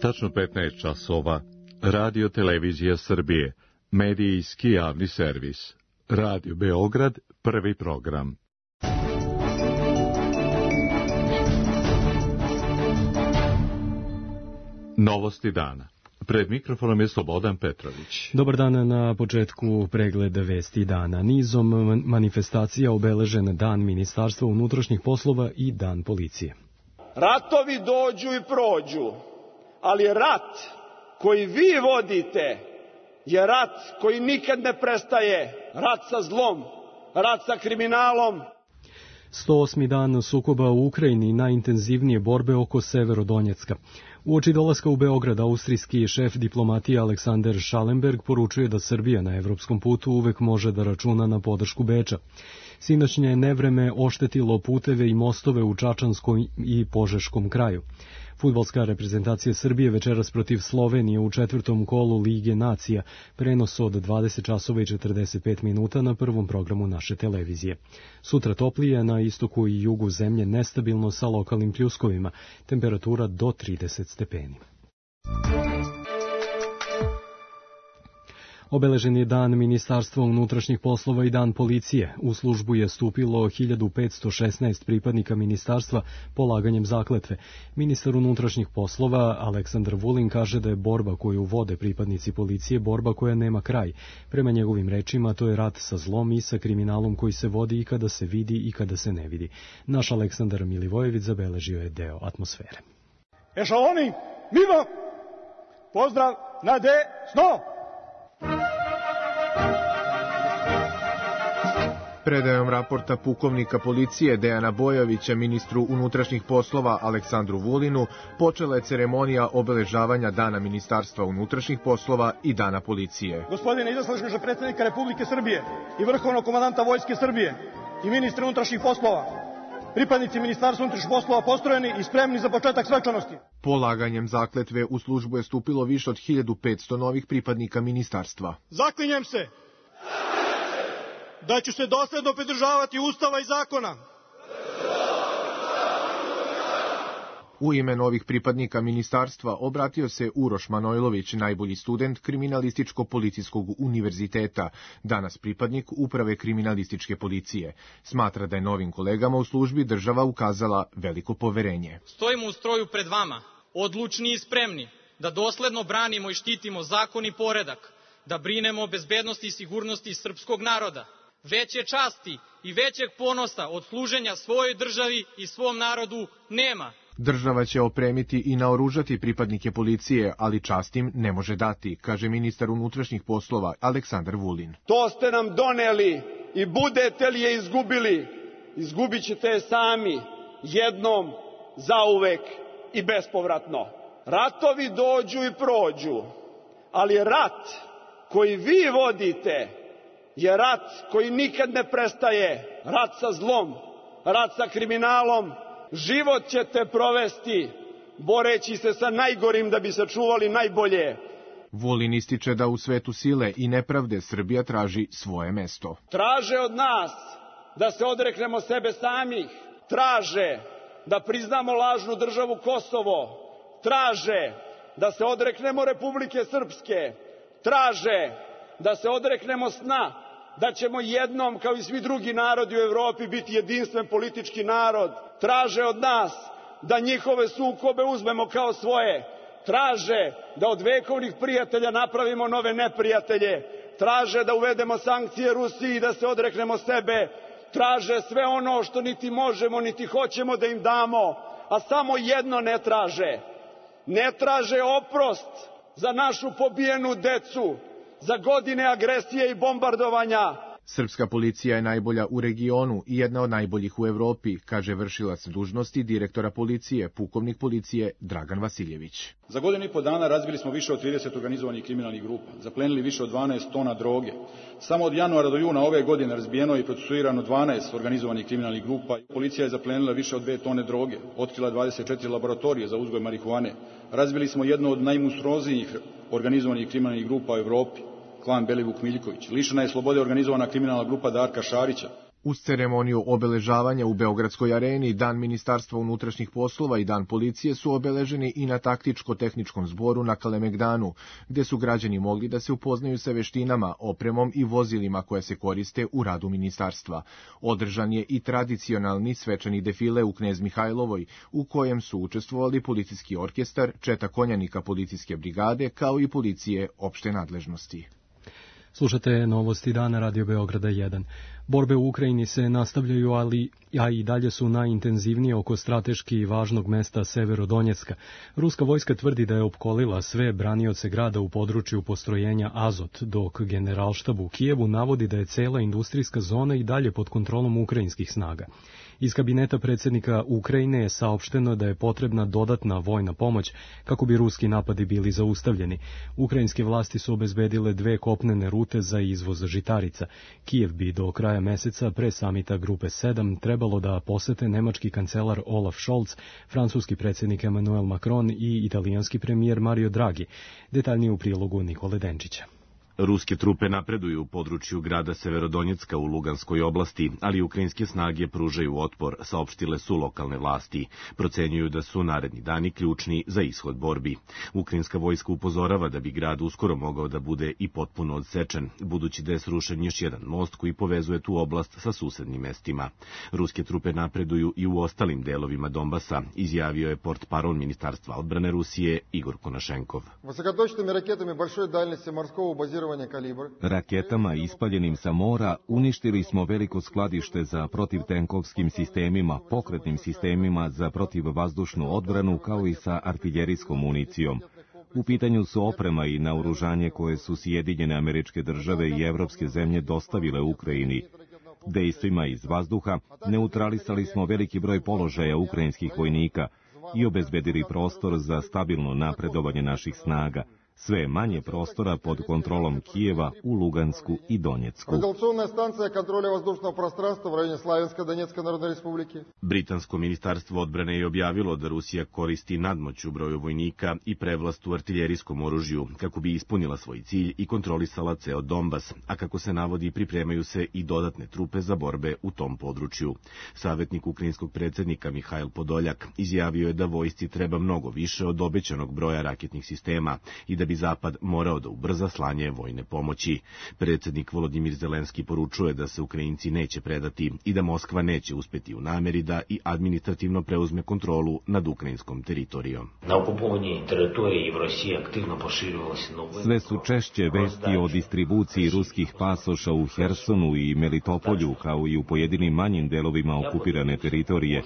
Tačno 15 časova. Radio Televizija Srbije. Medijski javni servis. Radio Beograd, prvi program. Novosti dana. Pred mikrofonom je Slobodan Petrović. Dobar dan, na početku pregleda vesti dana. Nizom manifestacija obeležen Dan Ministarstva unutrašnjih poslova i Dan policije. Ratovi dođu i prođu, ali rat koji vi vodite je rat koji nikad ne prestaje. Rat sa zlom, rat sa kriminalom. 108. dan sukoba u Ukrajini, najintenzivnije borbe oko Severodonjecka. Uoči dolaska u Beograd, austrijski šef diplomatije Aleksander Schallenberg poručuje da Srbija na evropskom putu uvek može da računa na podršku Beča. Sinoćnje nevreme oštetilo puteve i mostove u Čačanskom i Požeškom kraju. Fudbalska reprezentacija Srbije večeras protiv Slovenije u četvrtom kolu Lige nacija, prenos od 20 časova i 45 minuta na prvom programu naše televizije. Sutra toplije, na istoku i jugu zemlje nestabilno sa lokalnim pljuskovima, temperatura do 30 stepeni. Obeležen je Dan Ministarstva unutrašnjih poslova i Dan policije. U službu je stupilo 1516 pripadnika ministarstva polaganjem zakletve. Ministar unutrašnjih poslova Aleksandar Vulin kaže da je borba koju vode pripadnici policije borba koja nema kraj. Prema njegovim rečima, to je rat sa zlom i sa kriminalom koji se vodi i kada se vidi i kada se ne vidi. Naš Aleksandar Milivojević zabeležio je deo atmosfere. Ešaloni, mimo! Pozdrav na desno! Predajom raporta pukovnika policije Dejana Bojovića ministru unutrašnjih poslova Aleksandru Vulinu počela je ceremonija obeležavanja Dana Ministarstva unutrašnjih poslova i Dana policije. Gospodine izaslaškože predsjednika Republike Srbije i vrhovnog komandanta Vojske Srbije i ministra unutrašnjih poslova, pripadnici Ministarstva unutrašnjih poslova postrojeni i spremni za početak svečanosti. Polaganjem zakletve u službu je stupilo više od 1500 novih pripadnika ministarstva. Zaklinjem se da ću se dosledno pridržavati Ustava i zakona. U ime novih pripadnika ministarstva obratio se Uroš Manojlović, najbolji student Kriminalističko-policijskog univerziteta, danas pripadnik Uprave kriminalističke policije. Smatra da je novim kolegama u službi država ukazala veliko poverenje. Stojimo u stroju pred vama, odlučni i spremni, da dosledno branimo i štitimo zakon i poredak, da brinemo o bezbednosti i sigurnosti srpskog naroda. Veće časti i većeg ponosa od služenja svojoj državi i svom narodu nema. Država će opremiti i naoružati pripadnike policije, ali čast im ne može dati, kaže ministar unutrašnjih poslova Aleksandar Vulin. To ste nam doneli i budete li je izgubili, izgubit ćete je sami, jednom, zauvek i bespovratno. Ratovi dođu i prođu, ali rat koji vi vodite je rat koji nikad ne prestaje. Rat sa zlom, rat sa kriminalom. Život ćete provesti boreći se sa najgorim da bi sačuvali najbolje. Vulin ističe da u svetu sile i nepravde Srbija traži svoje mesto. Traže od nas da se odreknemo sebe samih. Traže da priznamo lažnu državu Kosovo. Traže da se odreknemo Republike Srpske. Traže da se odreknemo sna da ćemo jednom, kao i svi drugi narodi u Evropi, biti jedinstven politički narod. Traže od nas da njihove sukobe uzmemo kao svoje. Traže da od vekovnih prijatelja napravimo nove neprijatelje. Traže da uvedemo sankcije Rusiji i da se odreknemo sebe. Traže sve ono što niti možemo, niti hoćemo da im damo. A samo jedno ne traže. Ne traže oprost za našu pobijenu decu, za godine agresije i bombardovanja. Srpska policija je najbolja u regionu i jedna od najboljih u Evropi, kaže vršilac dužnosti direktora policije, pukovnik policije Dragan Vasiljević. Za godinu i po dana razbili smo više od 30 organizovanih kriminalnih grupa, zaplenili više od 12 tona droge. Samo od januara do juna ove godine razbijeno i procesuirano 12 organizovanih kriminalnih grupa. Policija je zaplenila više od 2 tone droge, otkrila 24 laboratorije za uzgoj marihuane. Razbili smo jednu od najmonstruoznijih organizovanih kriminalnih grupa u Evropi, klan Belivuk Miljković. Lišena je slobode organizovana kriminalna grupa Darka Šarića. Uz ceremoniju obeležavanja u Beogradskoj areni, Dan Ministarstva unutrašnjih poslova i Dan policije su obeleženi i na taktičko-tehničkom zboru na Kalemegdanu, gde su građani mogli da se upoznaju sa veštinama, opremom i vozilima koje se koriste u radu ministarstva. Održan je i tradicionalni svečani defile u Knez Mihajlovoj, u kojem su učestvovali policijski orkestar, četa konjanika policijske brigade, kao i policije opšte nadležnosti. Slušate novosti dana Radio Beograda 1. Borbe u Ukrajini se nastavljaju, a i dalje su najintenzivnije oko strateški važnog mesta Severodonjecka. Ruska vojska tvrdi da je opkolila sve branioce grada u području postrojenja Azot, dok Generalštab u Kijevu navodi da je cela industrijska zona i dalje pod kontrolom ukrajinskih snaga. Iz kabineta predsjednika Ukrajine je saopšteno da je potrebna dodatna vojna pomoć kako bi ruski napadi bili zaustavljeni. Ukrajinske vlasti su obezbedile 2 kopnene rute za izvoz žitarica. Kijev bi do kraja meseca pre samita Grupe 7 trebalo da posete nemački kancelar Olaf Scholz, francuski predsjednik Emmanuel Macron i italijanski premijer Mario Draghi. Detaljnije u prilogu Nikole Denčića. Ruske trupe napreduju u području grada Severodonjecka u Luganskoj oblasti, ali ukrajinske snage pružaju otpor, saopštile su lokalne vlasti. Procenjuju da su naredni dani ključni za ishod borbi. Ukrajinska vojska upozorava da bi grad uskoro mogao da bude i potpuno odsečen, budući da je srušen još jedan most koji povezuje tu oblast sa susednim mestima. Ruske trupe napreduju i u ostalim delovima Donbasa, izjavio je portparol Ministarstva odbrane Rusije Igor Konašenkov. Raketama ispaljenim sa mora uništili smo veliko skladište za protivtenkovskim sistemima, pokretnim sistemima za protivvazdušnu odbranu, kao i sa artiljerijskom municijom. U pitanju su oprema i naoružanje koje su Sjedinjene Američke Države i evropske zemlje dostavile Ukrajini. Dejstvima iz vazduha neutralisali smo veliki broj položaja ukrajinskih vojnika i obezbedili prostor za stabilno napredovanje naših snaga. Sve manje prostora pod kontrolom Kijeva u Lugansku i Donjecku. Britansko ministarstvo odbrane je objavilo da Rusija koristi nadmoć u broju vojnika i prevlast u artiljerijskom oružju kako bi ispunila svoj cilj i kontrolisala ceo Donbas, a kako se navodi pripremaju se i dodatne trupe za borbe u tom području. Savjetnik ukrajinskog predsjednika Mihajl Podoljak izjavio je da vojsci treba mnogo više od obećanog broja raketnih sistema i da bi Zapad morao da ubrza slanje vojne pomoći. Predsjednik Volodimir Zelenski poručuje da se Ukrajinci neće predati i da Moskva neće uspeti u nameri da i administrativno preuzme kontrolu nad ukrajinskom teritorijom. Na okupovanoj teritoriji v Rusiji aktivno poširivалися nove. Sve su češće vesti o distribuciji ruskih pasoša u Hersonu i Melitopolju, kao i u pojedinim manjim delovima okupirane teritorije.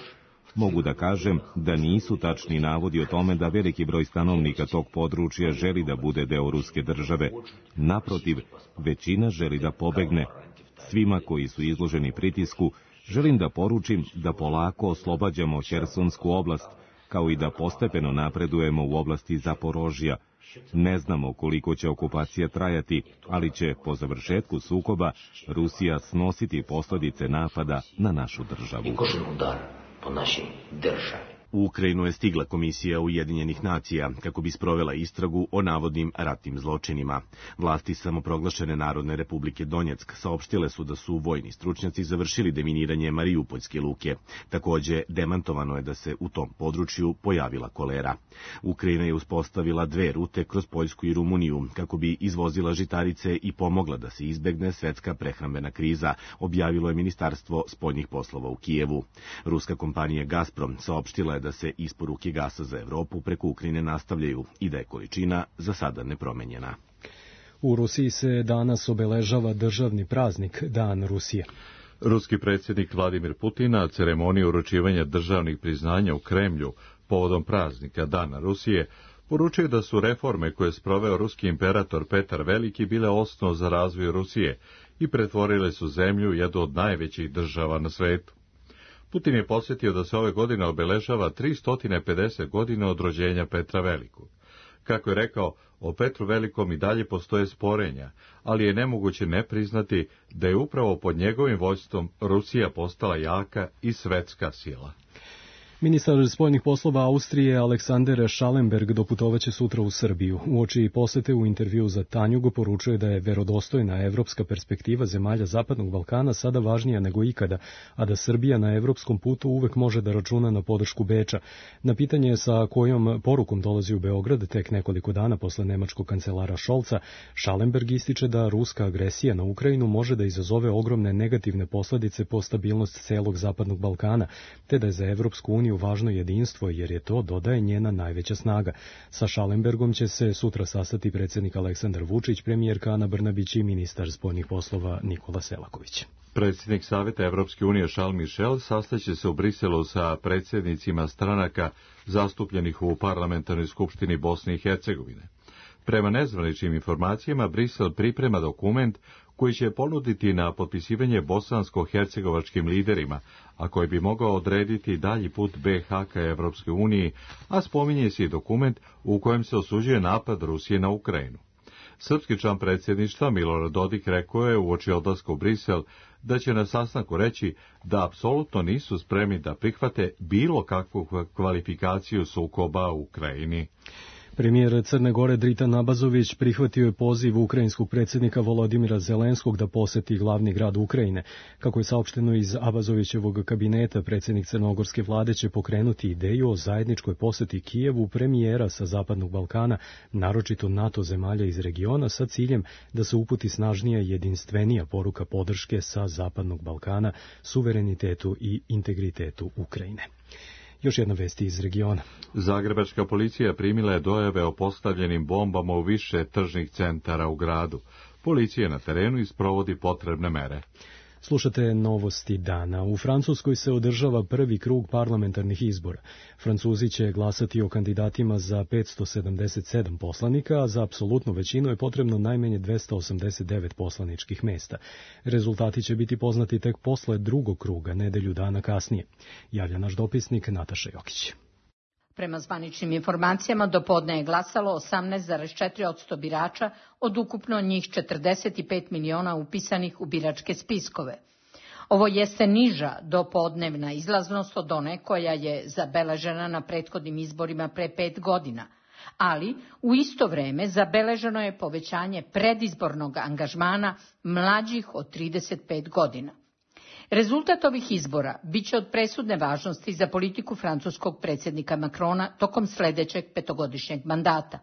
Mogu da kažem da nisu tačni navodi o tome da veliki broj stanovnika tog područja želi da bude deo ruske države. Naprotiv, većina želi da pobegne. Svima koji su izloženi pritisku, želim da poručim da polako oslobađamo Hersonsku oblast, kao i da postepeno napredujemo u oblasti Zaporožja. Ne znamo koliko će okupacija trajati, ali će po završetku sukoba Rusija snositi posljedice napada na našu državu. Po našoj državi. U Ukrajinu je stigla komisija Ujedinjenih nacija kako bi sprovela istragu o navodnim ratnim zločinima. Vlasti samoproglašene Narodne republike Donjeck saopštile su da su vojni stručnjaci završili deminiranje Mariupoljske luke. Takođe, demantovano je da se u tom području pojavila kolera. Ukrajina je uspostavila 2 rute kroz Poljsku i Rumuniju kako bi izvozila žitarice i pomogla da se izbegne svetska prehrambena kriza, objavilo je Ministarstvo spoljnih poslova u Kijevu. Ruska kompanija Gazprom saopštila je da se isporuke gasa za Evropu preko Ukrajine nastavljaju i da je količina za sada nepromenjena. U Rusiji se danas obeležava državni praznik Dan Rusije. Ruski predsjednik Vladimir Putin na ceremoniji uručivanja državnih priznanja u Kremlju povodom praznika Dana Rusije poručio da su reforme koje je sproveo ruski imperator Petar Veliki bile osnov za razvoj Rusije i pretvorile su zemlju u jednu od najvećih država na svetu. Putin je podsjetio da se ove godine obeležava 350 godina od rođenja Petra Velikog. Kako je rekao, o Petru Velikom i dalje postoje sporenja, ali je nemoguće ne priznati da je upravo pod njegovim vođstvom Rusija postala jaka i svetska sila. Ministar spoljnih poslova Austrije Alexander Schallenberg doputovaće sutra u Srbiju. Uoči posete u intervju za Tanjug poručuje da je verodostojna evropska perspektiva zemalja Zapadnog Balkana sada važnija nego ikada, a da Srbija na evropskom putu uvek može da računa na podršku Beča. Na pitanje sa kojom porukom dolazi u Beograd tek nekoliko dana posle nemačkog kancelara Scholza, Schallenberg ističe da ruska agresija na Ukrajinu može da izazove ogromne negativne posledice po stabilnost celog Zapadnog Balkana, te da je za Evropsku uniju važno jedinstvo, jer je to, dodaje, njena najveća snaga. Sa Schallenbergom će se sutra sastati predsjednik Aleksandar Vučić, premijerka Ana Brnabić i ministar spoljnih poslova Nikola Selaković. Predsjednik Saveta Evropske unije Charles Michel sastaće se u Briselu sa predsjednicima stranaka zastupljenih u Parlamentarnoj skupštini Bosne i Hercegovine. Prema nezvaničnim informacijama, Brisel priprema dokument koji će ponuditi na potpisivanje bosansko-hercegovačkim liderima, a koji bi mogao odrediti dalji put BiH ka Evropskoj uniji, a spominje se i dokument u kojem se osuđuje napad Rusije na Ukrajinu. Srpski član predsjedništva Milorad Dodik rekao je uoči odlaska u Brisel da će na sastanku reći da apsolutno nisu spremni da prihvate bilo kakvu kvalifikaciju sukoba u Ukrajini. Premijer Crne Gore Dritan Abazović prihvatio je poziv ukrajinskog predsjednika Volodimira Zelenskog da poseti glavni grad Ukrajine. Kako je saopšteno iz Abazovićevog kabineta, predsjednik crnogorske vlade će pokrenuti ideju o zajedničkoj poseti Kijevu premijera sa Zapadnog Balkana, naročito NATO zemalja iz regiona, sa ciljem da se uputi snažnija i jedinstvenija poruka podrške sa Zapadnog Balkana, suverenitetu i integritetu Ukrajine. Još jedna vest iz regiona. Zagrebačka policija primila je dojave o postavljenim bombama u više tržnih centara u gradu. Policija na terenu isprovodi potrebne mere. Slušate novosti dana. U Francuskoj se održava prvi krug parlamentarnih izbora. Francuzi će glasati o kandidatima za 577 poslanika, a za apsolutnu većinu je potrebno najmanje 289 poslaničkih mesta. Rezultati će biti poznati tek posle drugog kruga, nedelju dana kasnije. Javlja naš dopisnik Nataša Jokić. Prema zvaničnim informacijama, dopodne je glasalo 18,4% birača od ukupno njih 45 miliona upisanih u biračke spiskove. Ovo jeste niža dopodnevna izlaznost od one koja je zabeležena na prethodnim izborima pre 5 godina, ali u isto vreme zabeleženo je povećanje predizbornog angažmana mlađih od 35 godina. Rezultat ovih izbora biće od presudne važnosti za politiku francuskog predsjednika Macrona tokom sljedećeg petogodišnjeg mandata.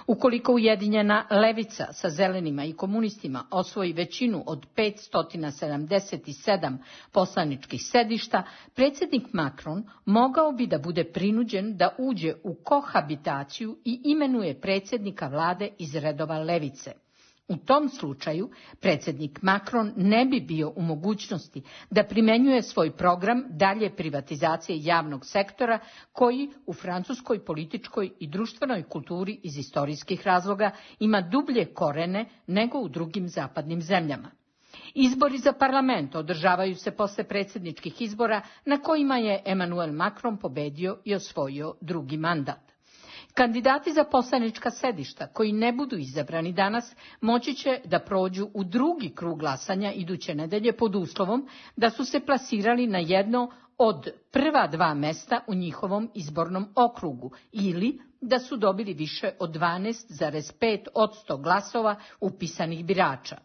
Ukoliko ujedinjena levica sa zelenima i komunistima osvoji većinu od 577 poslaničkih sedišta, predsjednik Macron mogao bi da bude prinuđen da uđe u kohabitaciju i imenuje predsjednika vlade iz redova levice. U tom slučaju predsjednik Macron ne bi bio u mogućnosti da primjenjuje svoj program dalje privatizacije javnog sektora koji u francuskoj političkoj i društvenoj kulturi iz istorijskih razloga ima dublje korene nego u drugim zapadnim zemljama. Izbori za parlament održavaju se posle predsjedničkih izbora na kojima je Emmanuel Macron pobedio i osvojio drugi mandat. Kandidati za poslanička sedišta koji ne budu izabrani danas moći će da prođu u drugi krug glasanja iduće nedelje pod uslovom da su se plasirali na jedno od prva 2 mesta u njihovom izbornom okrugu ili da su dobili više od 12,5% glasova upisanih birača.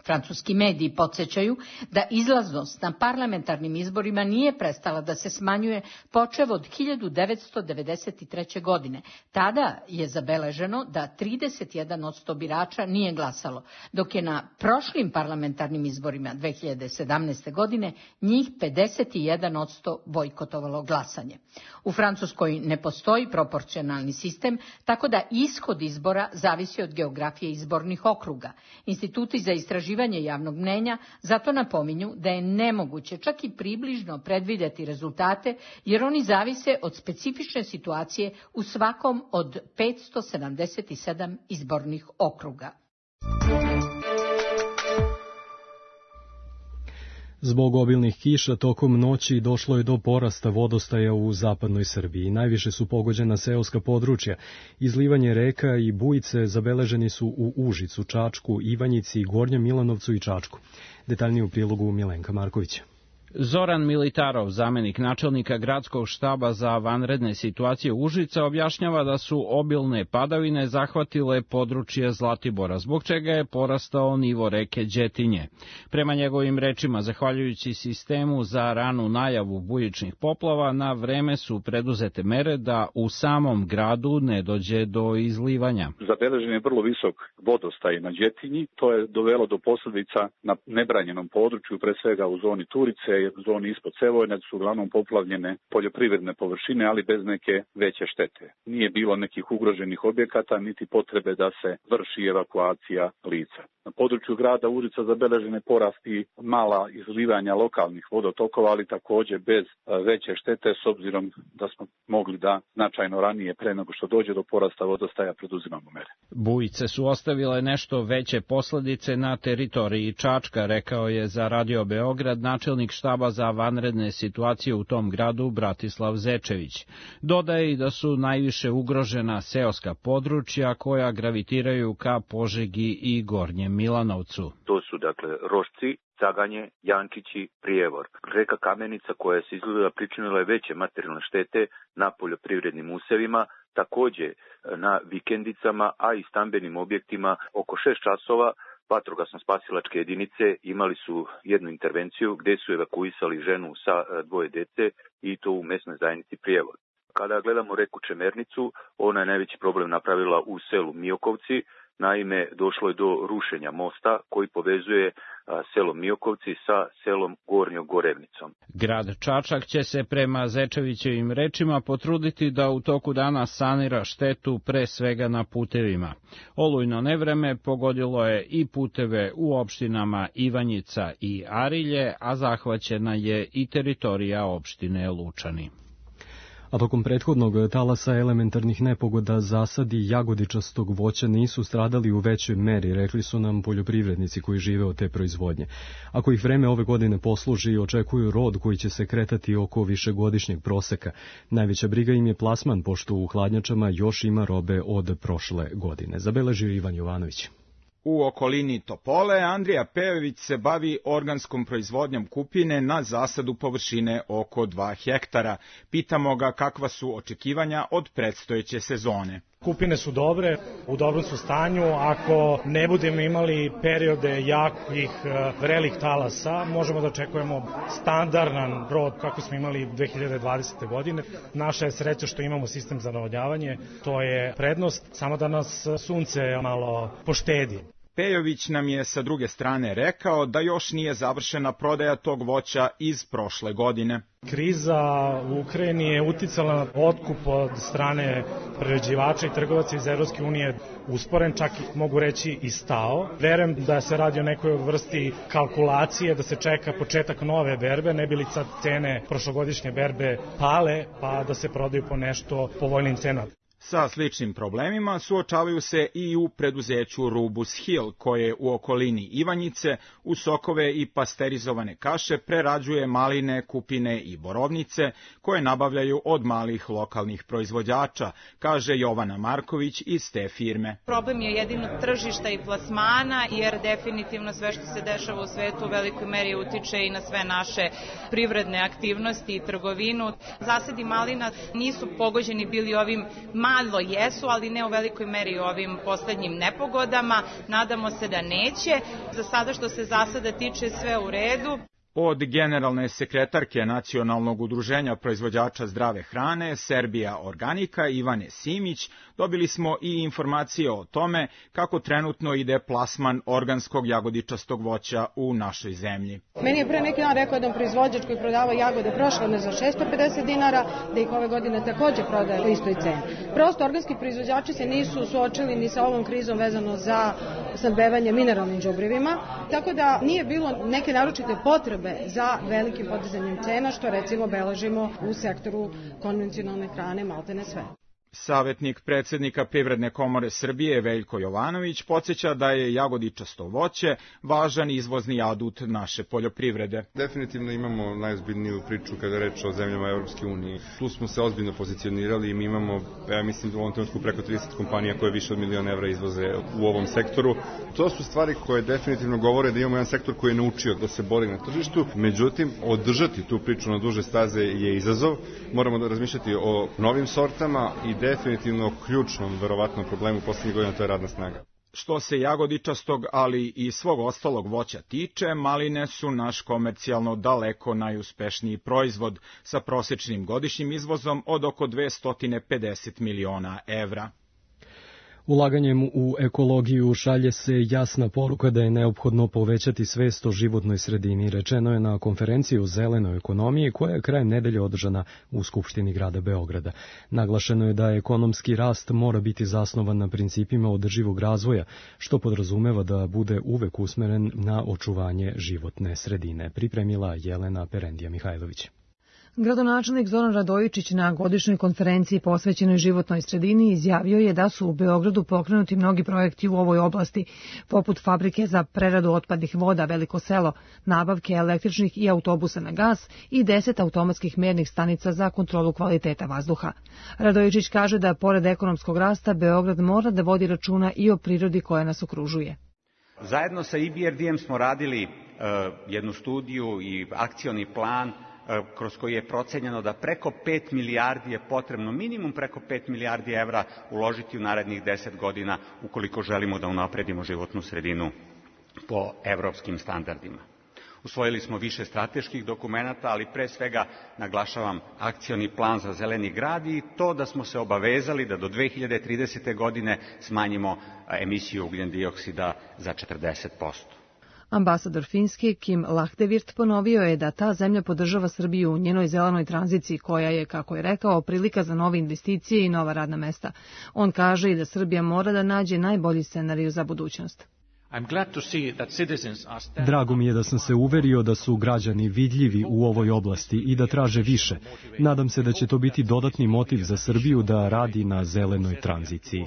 Francuski mediji podsjećaju da izlaznost na parlamentarnim izborima nije prestala da se smanjuje počev od 1993. godine. Tada je zabeleženo da 31% birača nije glasalo, dok je na prošlim parlamentarnim izborima 2017. godine njih 51% bojkotovalo glasanje. U Francuskoj ne postoji proporcionalni sistem, tako da ishod izbora zavisi od geografije izbornih okruga. Instituti za istraživanje javnog mnenja zato napominju da je nemoguće čak i približno predvidjeti rezultate, jer oni zavise od specifične situacije u svakom od 577 izbornih okruga. Zbog obilnih kiša tokom noći došlo je do porasta vodostaja u zapadnoj Srbiji. Najviše su pogođena seoska područja. Izlivanje reka i bujice zabeleženi su u Užicu, Čačku, Ivanjici, Gornjem Milanovcu i Čačku. Detaljnije u prilogu Milenka Markovića. Zoran Militarov, zamenik načelnika gradskog štaba za vanredne situacije Užica, objašnjava da su obilne padavine zahvatile područje Zlatibora, zbog čega je porastao nivo reke Đetinje. Prema njegovim rečima, zahvaljujući sistemu za ranu najavu bujičnih poplava, na vreme su preduzete mere da u samom gradu ne dođe do izlivanja. Zabeležen je vrlo visok vodostaj na Đetinji, to je dovelo do posljedica na nebranjenom području, pre svega u zoni Turice, u zoni ispod Sevojna su uglavnom poplavljene poljoprivredne površine, ali bez neke veće štete. Nije bilo nekih ugroženih objekata, niti potrebe da se vrši evakuacija lica. Na području grada Užica zabeležene porasti mala izlivanja lokalnih vodotokova, ali također bez veće štete, s obzirom da smo mogli da značajno ranije, pre nego što dođe do porasta vodostaja, preduzimamo mere. Bujice su ostavile nešto veće posledice na teritoriji Čačka, rekao je za Radio Beograd načelnik štaba za vanredne situacije u tom gradu Bratislav Zečević. Dodaje i da su najviše ugrožena seoska područja koja gravitiraju ka Požegi i Gornjem Milanovcu. To su dakle Rošci, Caganje, Jančići, Prijevor. Reka Kamenica koja se izgleda pričinila je veće materijalne štete na poljoprivrednim usevima, također na vikendicama, a i stambenim objektima. Oko 6 časova vatrogasno-spasilačke jedinice imali su jednu intervenciju gdje su evakuisali ženu sa 2 dece i to u mesnoj zajednici Prijevor. Kada gledamo reku Čemernicu, ona je najveći problem napravila u selu Miokovci. Naime, došlo je do rušenja mosta koji povezuje selo Miokovci sa selom Gornjom Gorevnicom. Grad Čačak će se prema Zečevićevim rečima potruditi da u toku dana sanira štetu pre svega na putevima. Olujno nevreme pogodilo je i puteve u opštinama Ivanjica i Arilje, a zahvaćena je i teritorija opštine Lučani. A tokom prethodnog talasa elementarnih nepogoda zasadi jagodičastog voća nisu stradali u većoj meri, rekli su nam poljoprivrednici koji žive od te proizvodnje. Ako ih vreme ove godine posluži, očekuju rod koji će se kretati oko višegodišnjeg proseka. Najveća briga im je plasman, pošto u hladnjačama još ima robe od prošle godine. Zabeležio Ivan Jovanović. U okolini Topole Andrija Pejović se bavi organskom proizvodnjom kupine na zasadu površine oko 2 hektara. Pitamo ga kakva su očekivanja od predstojeće sezone. Kupine su dobre, u dobrom su stanju. Ako ne budemo imali periode jakih vrelih talasa, možemo da očekujemo standardan rod kako smo imali 2020. godine. Naša je sreća što imamo sistem za navodnjavanje, to je prednost, samo da nas sunce malo poštedi. Pejović nam je sa druge strane rekao da još nije završena prodaja tog voća iz prošle godine. Kriza u Ukrajini je uticala na otkup od strane prerađivača i trgovaca iz Evropske unije usporen, čak mogu reći i stao. Verujem da se radi o nekoj vrsti kalkulacije, da se čeka početak nove berbe, ne bi li sad cene prošlogodišnje berbe pale, pa da se prodaju po nešto povoljnim cenama. Sa sličnim problemima suočavaju se i u preduzeću Rubus Hill, koje u okolini Ivanjice u sokove i pasterizovane kaše prerađuje maline, kupine i borovnice koje nabavljaju od malih lokalnih proizvođača, kaže Jovana Marković iz te firme. Problem je jedino tržišta i plasmana, jer definitivno sve što se dešava u svetu u velikoj meri utiče i na sve naše privredne aktivnosti i trgovinu. Zasadi malina nisu pogođeni bili ovim malo jesu, ali ne u velikoj meri ovim poslednjim nepogodama. Nadamo se da neće. Za sada što se zasada tiče sve u redu. Od generalne sekretarke Nacionalnog udruženja proizvođača zdrave hrane Serbija Organika Ivane Simić dobili smo i informacije o tome kako trenutno ide plasman organskog jagodičastog voća u našoj zemlji. Meni je pre neki dan rekao jedan proizvođač koji prodavao jagode prošle godine za 650 dinara, da ih ove godine također prodaje po istoj ceni. Prosto organski proizvođači se nisu suočili ni sa ovom krizom vezano za snabdevanje mineralnim đubrivima, tako da nije bilo neke naročite potrebe za velikim podizanjem cena, što recimo beležimo u sektoru konvencionalne hrane maltene sve. Savjetnik predsjednika Privredne komore Srbije Veljko Jovanović podsjeća da je jagodičasto voće važan izvozni adut naše poljoprivrede. Definitivno imamo najozbiljniju priču kada je reč o zemljama Evropske unije. Tu smo se ozbiljno pozicionirali i mi imamo, ja mislim, u ovom trenutku preko 30 kompanija koje više od $1.000.000 evra izvoze u ovom sektoru. To su stvari koje definitivno govore da imamo jedan sektor koji je naučio da se bori na tržištu, međutim, održati tu priču na duže staze je izazov. Moramo da razmišljati o novim sortama i definitivno ključnom, verovatnom problemu poslednjih godina, to je radna snaga. Što se jagodičastog, ali i svog ostalog voća tiče, maline su naš komercijalno daleko najuspešniji proizvod sa prosječnim godišnjim izvozom od oko 250 miliona evra. Ulaganjem u ekologiju šalje se jasna poruka da je neophodno povećati svest o životnoj sredini, rečeno je na konferenciji o zelenoj ekonomiji koja je krajem nedelje održana u Skupštini grada Beograda. Naglašeno je da ekonomski rast mora biti zasnovan na principima održivog razvoja, što podrazumeva da bude uvek usmeren na očuvanje životne sredine, pripremila Jelena Perendija Mihajlović. Gradonačelnik Zoran Radojičić na godišnjoj konferenciji posvećenoj životnoj sredini izjavio je da su u Beogradu pokrenuti mnogi projekti u ovoj oblasti, poput fabrike za preradu otpadnih voda Veliko selo, nabavke električnih i autobusa na gas i 10 automatskih mernih stanica za kontrolu kvaliteta vazduha. Radojičić kaže da pored ekonomskog rasta Beograd mora da vodi računa i o prirodi koja nas okružuje. Zajedno sa EBRD-em smo radili jednu studiju i akcioni plan kroz koji je procenjeno da preko 5 milijardi je potrebno, minimum preko 5 milijardi evra uložiti u narednih 10 godina ukoliko želimo da unapredimo životnu sredinu po evropskim standardima. Usvojili smo više strateških dokumenata, ali pre svega naglašavam akcioni plan za zeleni grad i to da smo se obavezali da do 2030. godine smanjimo emisiju ugljen-dioksida za 40%. Ambasador Finske Kim Lahdevirt ponovio je da ta zemlja podržava Srbiju u njenoj zelenoj tranziciji koja je, kako je rekao, prilika za nove investicije i nova radna mesta. On kaže i da Srbija mora da nađe najbolji scenarij za budućnost. Drago mi je da sam se uverio da su građani vidljivi u ovoj oblasti i da traže više. Nadam se da će to biti dodatni motiv za Srbiju da radi na zelenoj tranziciji.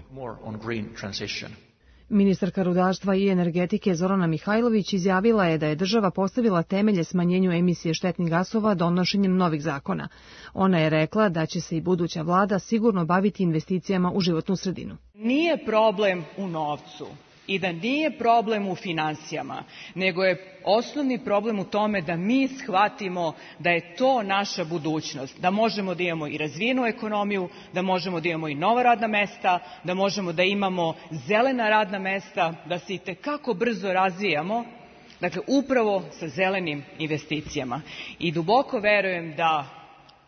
Ministarka rudarstva i energetike Zorana Mihajlović izjavila je da je država postavila temelje smanjenju emisije štetnih gasova donošenjem novih zakona. Ona je rekla da će se i buduća vlada sigurno baviti investicijama u životnu sredinu. Nije problem u novcu i da nije problem u finansijama, nego je osnovni problem u tome da mi shvatimo da je to naša budućnost, da možemo da imamo i razvijenu ekonomiju, da možemo da imamo i nova radna mesta, da možemo da imamo zelena radna mesta, da se itekako brzo razvijamo, dakle upravo sa zelenim investicijama. I duboko verujem da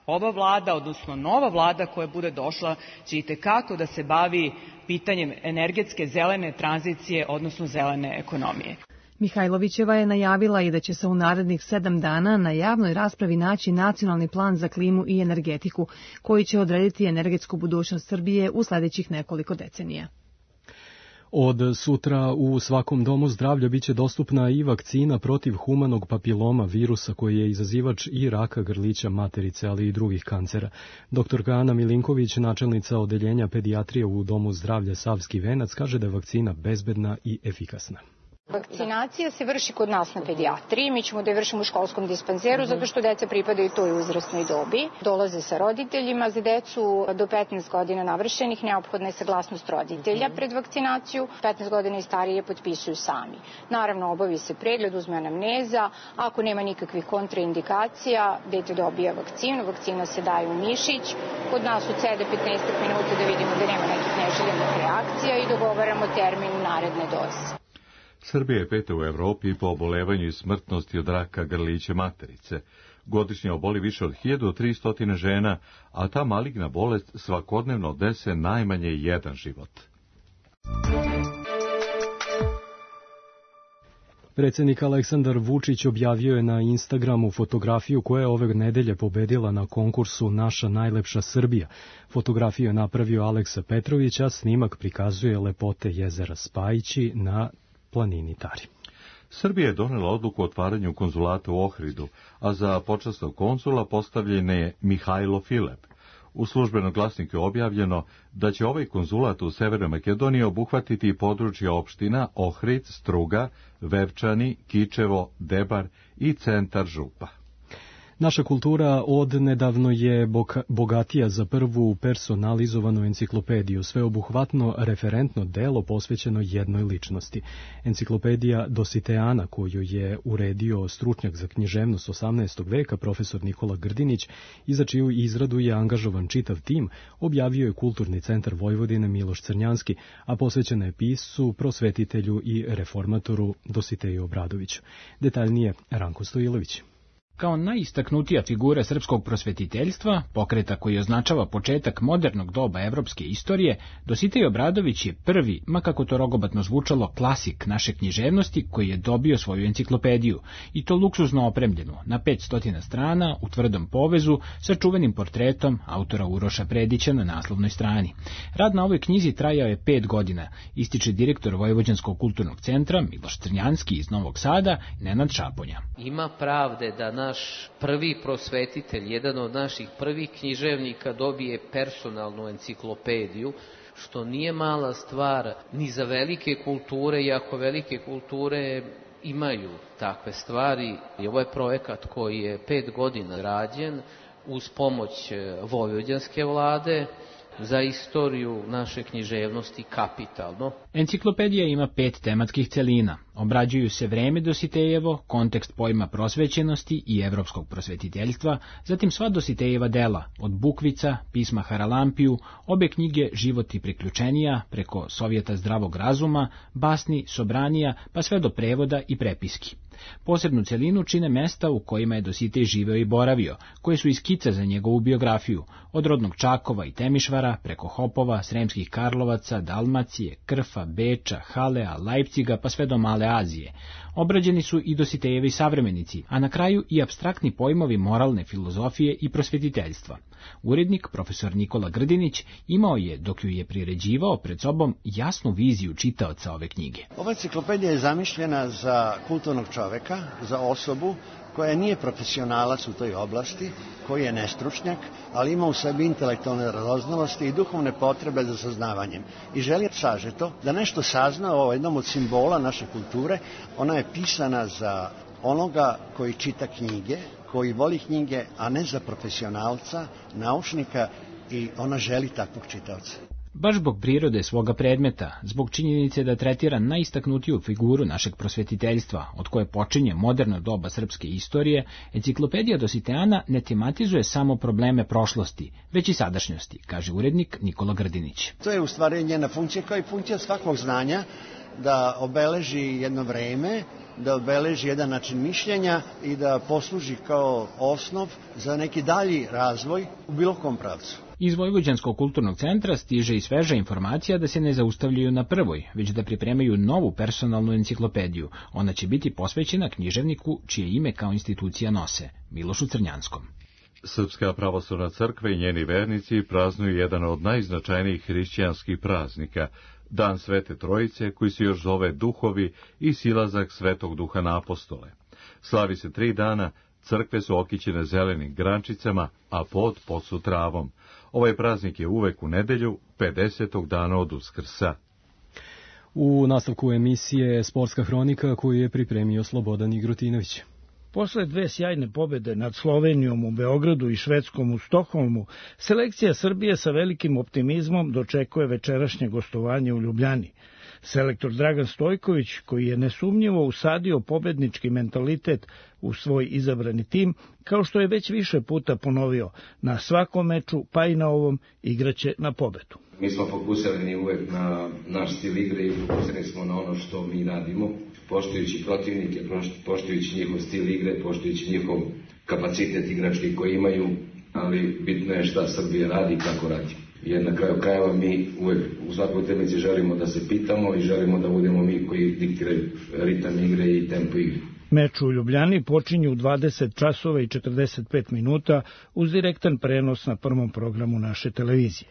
ova vlada, odnosno nova vlada koja bude došla, će itekako da se bavi pitanjem energetske zelene tranzicije, odnosno zelene ekonomije. Mihajlovićeva je najavila i da će se u narednih 7 dana na javnoj raspravi naći nacionalni plan za klimu i energetiku, koji će odrediti energetsku budućnost Srbije u sledećih nekoliko decenija. Od sutra u svakom domu zdravlja biće dostupna i vakcina protiv humanog papiloma virusa koji je izazivač i raka grlića materice, ali i drugih kancera. Dr. Ana Milinković, načelnica odeljenja pedijatrije u Domu zdravlja Savski Venac, kaže da je vakcina bezbedna i efikasna. Vakcinacija se vrši kod nas na pedijatriji, mi ćemo da je vršimo u školskom dispanzeru zato što deca pripadaju toj uzrasnoj dobi. Dolaze sa roditeljima, za decu do 15 godina navršenih neophodna je saglasnost roditelja pred vakcinaciju, 15 godina i starije potpisuju sami. Naravno, obavi se pregled, uzme anamneza, ako nema nikakvih kontraindikacija, dete dobija vakcinu, vakcina se daje u mišić, kod nas ucede 15 minuta da vidimo da nema nekih neželjenih reakcija i dogovaramo termin naredne doze. Srbija je 5. u Evropi po obolevanju i smrtnosti od raka grlića materice. Godišnje oboli više od 1300 žena, a ta maligna bolest svakodnevno odnese najmanje jedan život. Predsjednik Aleksandar Vučić objavio je na Instagramu fotografiju koja je ove nedelje pobedila na konkursu Naša najlepša Srbija. Fotografiju je napravio Aleksa Petrović, a snimak prikazuje lepote jezera Spajići na planini Tari. Srbija je donela odluku o otvaranju konzulata u Ohridu, a za počasnog konzula postavljen je Mihajlo Filep. U službenom glasniku je objavljeno da će ovaj konzulat u Severnoj Makedoniji obuhvatiti područje opština Ohrid, Struga, Vevčani, Kičevo, Debar i centar Župa. Naša kultura odnedavno je bogatija za prvu personalizovanu enciklopediju, sveobuhvatno referentno delo posvećeno jednoj ličnosti. Enciklopedija Dositeana, koju je uredio stručnjak za književnost 18. veka profesor Nikola Grdinić i za čiju izradu je angažovan čitav tim, objavio je Kulturni centar Vojvodine Miloš Crnjanski, a posvećena je piscu, prosvetitelju i reformatoru Dositeju Obradoviću. Detaljnije Ranko Stojilović. Kao najistaknutija figura srpskog prosvetiteljstva, pokreta koji označava početak modernog doba evropske istorije, Dositej Obradović je prvi, ma kako to rogobatno zvučalo, klasik naše književnosti koji je dobio svoju enciklopediju, i to luksuzno opremljenu, na 500 strana, u tvrdom povezu, sa čuvenim portretom autora Uroša Predića na naslovnoj strani. Rad na ovoj knjizi trajao je 5 godina, ističe direktor Vojvođanskog kulturnog centra Miloš Crnjanski iz Novog Sada, Nenad Šaponja. Ima pravde da naš prvi prosvetitelj, jedan od naših prvih književnika, dobije personalnu enciklopediju, što nije mala stvar ni za velike kulture, iako velike kulture imaju takve stvari. I ovo je projekat koji je 5 godina rađen uz pomoć vojvođanske vlade, za istoriju naše književnosti kapitalno. Enciklopedija ima 5 tematskih celina. Obrađuju se vreme Dositejevo, kontekst pojma prosvećenosti i evropskog prosvetiteljstva, zatim sva Dositejeva dela, od Bukvica, pisma Haralampiju, obe knjige Život i priključenija, preko Sovjeta zdravog razuma, basni, Sobranija, pa sve do prevoda i prepiski. Posebnu celinu čine mesta u kojima je Dositej živeo i boravio, koje su iskice za njegovu biografiju, od rodnog Čakova i Temišvara, preko Hopova, Sremskih Karlovaca, Dalmacije, Krfa, Beča, Halea, Lajpciga, pa sve do Male Azije. Obrađeni su i Dositejevi savremenici, a na kraju i apstraktni pojmovi moralne filozofije i prosvetiteljstva. Urednik, profesor Nikola Grdinić, imao je, dok ju je priređivao, pred sobom jasnu viziju čitaoca ove knjige. Ova enciklopedija je zamišljena za kulturnog čoveka, za osobu koja nije profesionalac u toj oblasti, koji je nestručnjak, ali ima u sebi intelektualne radoznalosti i duhovne potrebe za saznavanjem. I želi sažeto da nešto sazna o jednom od simbola naše kulture. Ona je pisana za onoga koji čita knjige, koji voli knjige, a ne za profesionalca, naučnika, i ona želi takvog čitaoca. Baš zbog prirode svoga predmeta, zbog činjenice da tretira najistaknutiju figuru našeg prosvetiteljstva, od koje počinje moderno doba srpske istorije, enciklopedija Dositeana ne tematizuje samo probleme prošlosti, već i sadašnjosti, kaže urednik Nikola Grdinić. To je u stvari njena funkcija, kao i funkcija svakog znanja, da obeleži jedno vreme, da obeleži jedan način mišljenja i da posluži kao osnov za neki dalji razvoj u bilo kom pravcu. Iz Vojvođanskog kulturnog centra stiže i sveža informacija da se ne zaustavljaju na prvoj, već da pripremaju novu personalnu enciklopediju. Ona će biti posvećena književniku čije ime kao institucija nose, Milošu Crnjanskom. Srpska pravoslavna crkva i njeni vernici praznuju jedan od najznačajnijih hrišćanskih praznika, Dan Svete Trojice, koji se još zove Duhovi i silazak Svetog Duha na apostole. Slavi se 3 dana, crkve su okićene zelenim grančicama, a pod su travom. Ovaj praznik je uvek u nedelju, 50. dana od Uskrsa. U nastavku emisije Sportska hronika koju je pripremio Slobodan Igrotinović. Posle 2 sjajne pobede nad Slovenijom u Beogradu i Švedskom u Stokholmu, selekcija Srbije sa velikim optimizmom dočekuje večerašnje gostovanje u Ljubljani. Selektor Dragan Stojković, koji je nesumnjivo usadio pobednički mentalitet u svoj izabrani tim, kao što je već više puta ponovio, na svakom meču, pa i na ovom, igraće na pobedu. Mi smo fokusirani uvek na naš stil igre i fokusirani smo na ono što mi radimo, poštujući protivnike, poštujući njihov stil igre, poštujući njihov kapacitet igrački koji imaju, ali bitno je šta Srbija radi i kako radi. Jer na kraju krajeva mi uvek u svakoj utakmici želimo da se pitamo i želimo da budemo mi koji diktiraju ritam igre i tempo igre. Meč u Ljubljani počinje u 20 časova i 45 minuta uz direktan prenos na prvom programu naše televizije.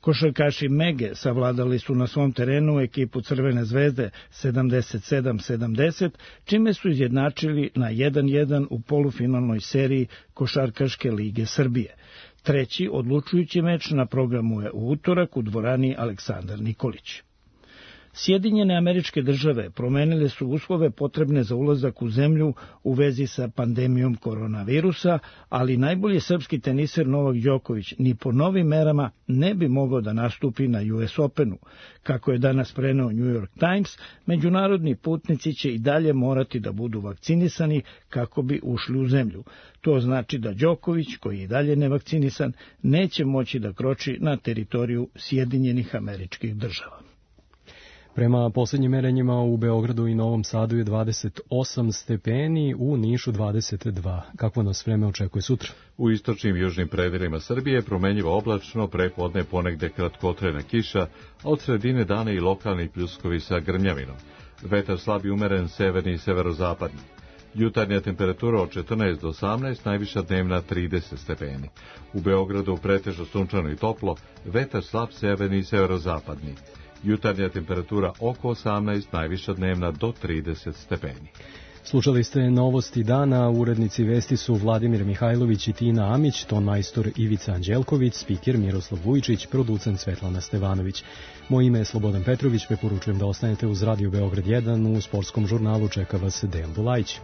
Košarkaši Mege savladali su na svom terenu ekipu Crvene zvezde 77-70, čime su izjednačili na 1-1 u polufinalnoj seriji Košarkaške lige Srbije. Treći odlučujući meč na programu je u utorak u dvorani Aleksandar Nikolić. Sjedinjene Američke Države promenile su uslove potrebne za ulazak u zemlju u vezi sa pandemijom koronavirusa, ali najbolji srpski teniser Novak Đoković ni po novim merama ne bi mogao da nastupi na US Openu. Kako je danas preneo New York Times, međunarodni putnici će i dalje morati da budu vakcinisani kako bi ušli u zemlju. To znači da Đoković, koji je i dalje nevakcinisan, neće moći da kroči na teritoriju Sjedinjenih Američkih Država. Prema posljednjim merenjima u Beogradu i Novom Sadu je 28 stepeni, u Nišu 22. Kakvo nas vreme očekuje sutra? U istočnim i južnim predelima Srbije promenjivo oblačno, prepodne ponegde kratkotrajna kiša, a od sredine dana i lokalni pljuskovi sa grmljavinom. Vetar slab i umeren severni i severozapadni. Jutarnja temperatura od 14 do 18, najviša dnevna 30 stepeni. U Beogradu pretežno sunčano i toplo, vetar slab severni i severozapadni. Jutarnja temperatura oko 18, najviša dnevna do 30 stepeni. Slušali ste novosti dana, urednici vesti su Vladimir Mihajlović i Tina Amić, ton majstor Ivica Anđelković, spiker Miroslav Vujičić, producent Svetlana Stevanović. Moje ime je Slobodan Petrović, preporučujem da ostanete uz Radio Beograd 1, u sportskom žurnalu čeka vas Dejan Bulajić.